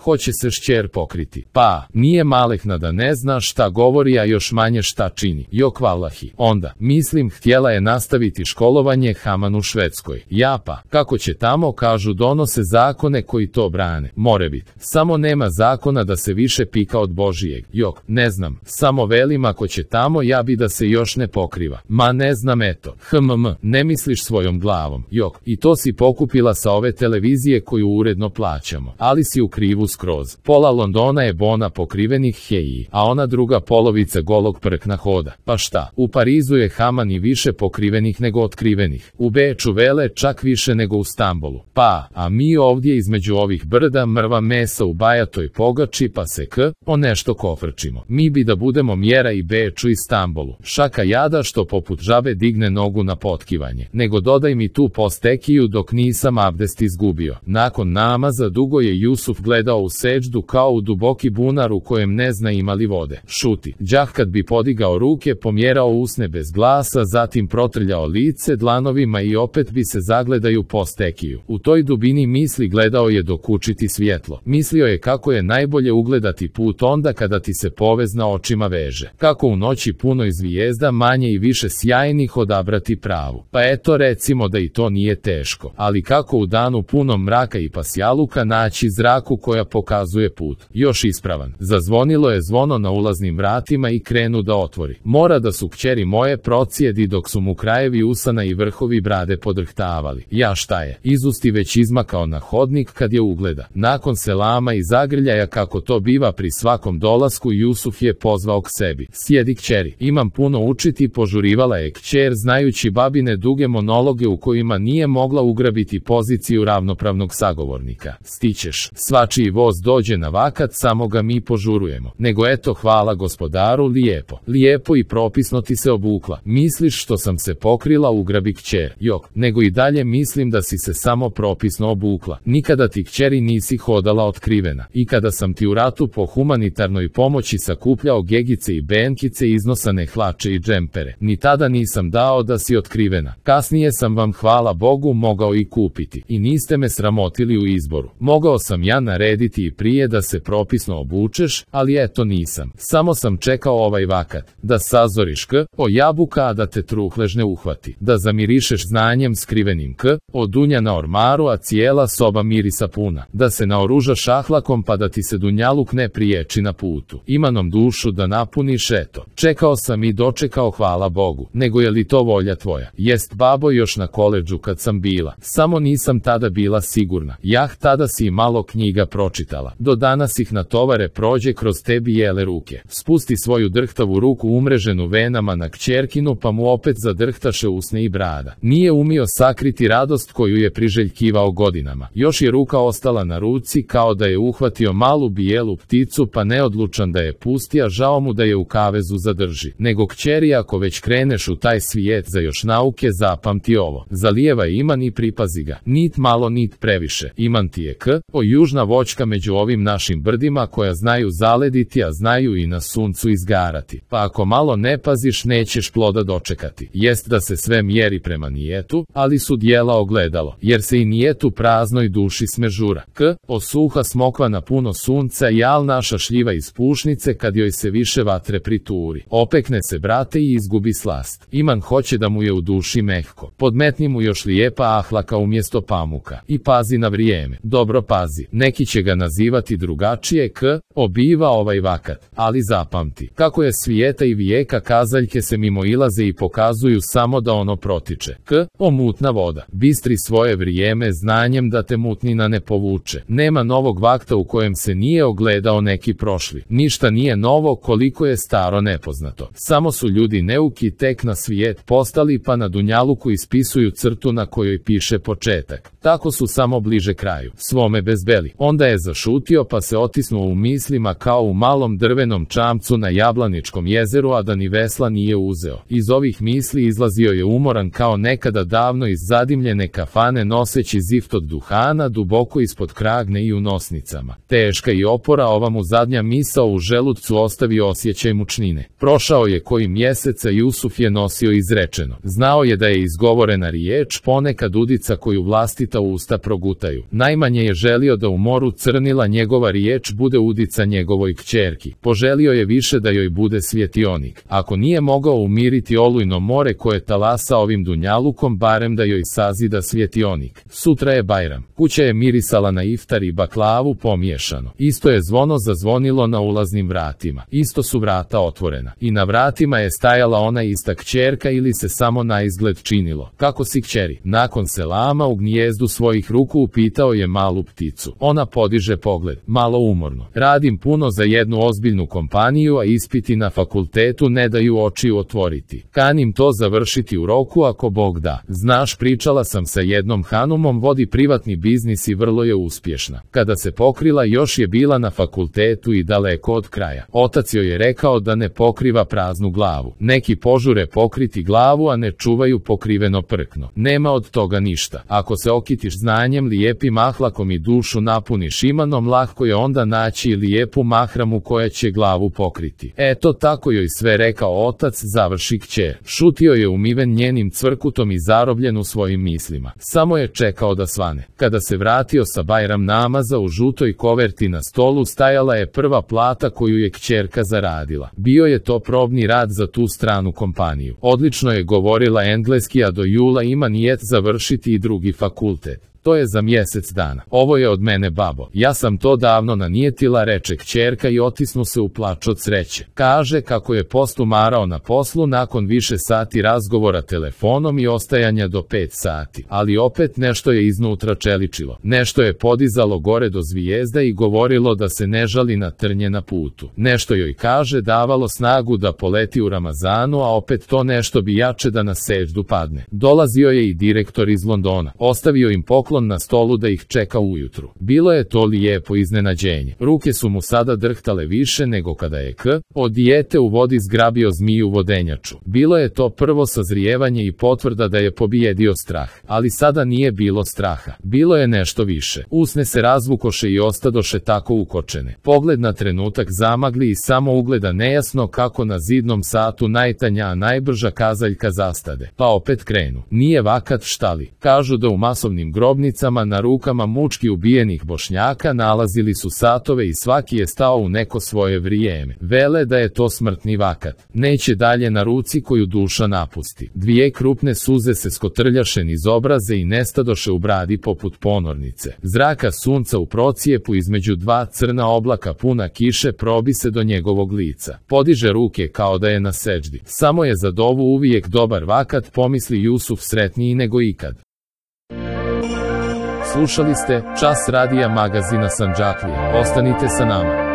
hoće se šćer pokriti. Pa, nije malehna da ne zna šta govori, a još manje šta čini. Jok vallahi. Onda, mislim, htjela je nastaviti školovanje Haman u Švedskoj. Ja pa, kako će tamo, kažu, donose zakone koji to brane. More bit. Samo nema zakona da se više pika od Božijeg. Jok, ne znam. Samo velim, ako će tamo, ja bi da se još ne pokriva. Ma ne znam, eto. Ne misliš svojom glavom. Jok, i to si pokupila sa ove televizije koju uredno plaćamo. Ali si u krivu skroz. Pola Londona je bona pokrivenih heji, a ona druga polovica golog prkna hoda. Pa šta? U Parizu je Haman i više pokrivenih nego otkrivenih. U Beču vele čak više nego u Stambolu. Pa, a mi ovdje između ovih brda mrva mesa u bajatoj pogači pa se o nešto kofrčimo. Mi bi da budemo mjera i Beču i Stambolu. Šaka jada što poput žabe digne nogu na potkivanje. Nego dodaj mi tu postekiju dok nisam abdest izgubio. Nakon namaza dugo je Jusuf gledao u seđdu kao u duboki bunar u kojem ne zna ima li vode. Šuti. Đah kad bi podigao ruke, pomjerao usne bez glasa, zatim protrljao lice dlanovima i opet bi se zagledaju postekiju. U toj dubini misli gledao je dok učiti svjetlo. Mislio je kako je najbolje ugledati put onda kada ti se povez na očima veže. Kako u noći punoj zvijezda manje i više sjajnih odabrati pravu. Pa eto, recimo da i to nije teško. Ali kako u danu punom mraka i pasjaluka naći zraku koja pokazuje put. Još ispravan. Zazvonilo je zvono na ulaznim vratima i krenu da otvori. Mora da su kćeri moje procijedi dok su mu krajevi usana i vrhovi brade podrhtavali. Ja šta je? Izusti već izmakao na hodnik kad je ugleda. Nakon selama i zagrljaja kako to biva pri svakom dolasku, Jusuf je pozvao k sebi. Sjedi kćeri, imam puno učiti, požurivala je kćer znajući babine duge monologe u kojima nije mogla ugrabiti poziciju ravnopravnog sagovornika. Stićeš, svačiji voz dođe na vakat, samo ga mi požurujemo. Nego eto, hvala gospodaru, lijepo i propisno ti se obukla. Misliš što sam se pokrila, ugrabi kćer. Jok, nego i dalje mislim da si se samo propisno obukla. Nikada ti kćeri nisi hodala otkrivena. I kada sam ti u ratu po humanitarnoj pomoći sakupljao gegice i benkice, iznosane hlače i džempere, ni tada nisam dao da si otkrivena. Kasnije sam vam, hvala Bogu, mogao i kupiti. I niste me sramotili u izboru. Mogao sam ja narediti i prije da se propisno obučeš, ali eto nisam. Samo sam čekao ovaj vakat. Da sazoriš o jabuka, a da te truhlež ne uhvati. Da zamirišeš znanjem skrivenim o dunja na ormaru, a cijela soba mirisa puna. Da se naoružaš ahlakom pa da ti se dunjaluk ne priječi na putu. Imanom dušu da napuniš, eto. Čekao sam i dočekao, hvala Bogu. Nego je li to volja tvoja? Jest babo, još na koledžu kad sam bila. Samo nisam tada bila sigurna. Tada si malo knjiga pročitala. Do danas ih na tovare prođe kroz tebi jele ruke. Spusti svoju drhtavu ruku umreženu venama na kćerkinu pa mu opet zadrhtaše usne i brada. Nije umio sakriti radost koju je priželjkivao godinama. Još je ruka ostala na ruci kao da je uhvatio malu bijelu pticu pa neodlučan da je pusti, a žao mu da je u kavezu zadrži. Nego kćeri, ako već kreneš u taj svijet za još nauke, zapamti ovo. Zalijevaj iman i pripazi ga. Nit malo nit previše. Iman ti je južna voćka među ovim našim brdima koja znaju zalediti, a znaju i na suncu izgarati. Pa ako malo ne paziš, nećeš ploda dočekati. Jest da se sve mjeri prema nijetu, ali su djela ogledalo, jer se i nijetu praznoj duši smežura. Osuha smokva na puno sunca, jal naša šljiva iz pušnice kad joj se više vatre prituri. Opekne se, brate, i izgubi slast. Iman hoće da mu je u duši mehko. Podmetni mu još lijepa ahlaka umjesto pamuka. I pazi na vrijeme. Dobro pazi. Neki će ga nazivati drugačije, obiva ovaj vakat. Ali zapamti, kako je svijeta i vijeka, kazaljke se mimo ilaze i pokazuju samo da ono protiče. Mutna voda. Bistri svoje vrijeme znanjem da te mutnina ne povuče. Nema novog vakta u kojem se nije ogledao neki prošli. Ništa nije novo koliko je staro nepoznato. Samo su ljudi neuki tek na svijet postali pa na dunjaluku ispisuju crtu na kojoj piše početak. Tako su samo bliže kraju, svome bezbeli. Onda je zašutio pa se otisnuo u mislima kao u malom drvenom čamcu na Jablaničkom jezeru, a da ni vesla nije uzeo. Iz ovih misli izlazio je umoran kao nekada davno iz zadimljene kafane noseći zift od duhana duboko ispod kragne i u nosnicama. Teška i opora, ova mu zadnja misao u želucu ostavi osjećaj mučnine. Prošao je koji mjeseca, Jusuf je nosio izrečeno. Znao je da je izgovorena riječ ponekad udica koju vlastita usta progutaju. Najmanje je želio da u moru crta ocrnila njegova riječ bude udica njegovoj kćerki. Poželio je više da joj bude svjetionik. Ako nije mogao umiriti olujno more koje talasa ovim dunjalukom, barem da joj sazida svjetionik. Sutra je Bajram. Kuća je mirisala na iftar i baklavu pomiješano. Isto je zvono zazvonilo na ulaznim vratima. Isto su vrata otvorena. I na vratima je stajala ona ista kćerka ili se samo na izgled činilo. Kako si kćeri? Nakon selama u gnijezdu svojih ruku upitao je malu pticu. Ona podiže pogled, malo umorno. Radim puno za jednu ozbiljnu kompaniju, a ispiti na fakultetu ne daju očiju otvoriti. Kanim to završiti u roku ako Bog da. Znaš, pričala sam sa jednom hanumom, vodi privatni biznis i vrlo je uspješna. Kada se pokrila još je bila na fakultetu i daleko od kraja. Otac joj je rekao da ne pokriva praznu glavu. Neki požure pokriti glavu, a ne čuvaju pokriveno prkno. Nema od toga ništa. Ako se okitiš znanjem, lijepim ahlakom i dušu napuniš imanom, lahko je onda naći i lijepu mahramu koja će glavu pokriti. Eto tako joj sve rekao otac, završi kćer. Šutio je umiven njenim cvrkutom i zarobljen u svojim mislima. Samo je čekao da svane. Kada se vratio sa Bajram namaza, u žutoj koverti na stolu stajala je prva plata koju je kćerka zaradila. Bio je to probni rad za tu stranu kompaniju. Odlično je govorila engleski, a do jula ima nijet završiti i drugi fakultet. To je za mjesec dana. Ovo je od mene, babo. Ja sam to davno nanijetila, reče kćerka i otisnu se u plač od sreće. Kaže kako je postumarao na poslu nakon više sati razgovora telefonom i ostajanja do 5 sati. Ali opet nešto je iznutra čeličilo. Nešto je podizalo gore do zvijezda i govorilo da se ne žali na trnje na putu. Nešto joj, kaže, davalo snagu da poleti u Ramazanu, a opet to nešto bi jače da na seždu padne. Dolazio je i direktor iz Londona. Ostavio im poklon na stolu da ih čeka ujutru. Bilo je to lijepo iznenađenje. Ruke su mu sada drhtale više nego kada je od dijete u vodi zgrabio zmiju vodenjaču. Bilo je to prvo sazrijevanje i potvrda da je pobijedio strah. Ali sada nije bilo straha. Bilo je nešto više. Usne se razvukoše i ostadoše tako ukočene. Pogled na trenutak zamagli i samo ugleda nejasno kako na zidnom satu najtanja, a najbrža kazaljka zastade. Pa opet krenu. Nije vakat, štali. Kažu da u masovnim grobnicama na rukama mučki ubijenih Bošnjaka nalazili su satove i svaki je stao u neko svoje vrijeme. Vele da je to smrtni vakat. Neće dalje na ruci koju duša napusti. Dvije krupne suze se skotrljaše niz obraze i nestadoše u bradi poput ponornice. Zraka sunca u procijepu između dva crna oblaka puna kiše probi se do njegovog lica. Podiže ruke kao da je na seđdi. Samo je za dovu uvijek dobar vakat, pomisli Jusuf, sretniji nego ikad. Slušali ste Čas radija magazina Sandžaklija. Ostanite sa nama.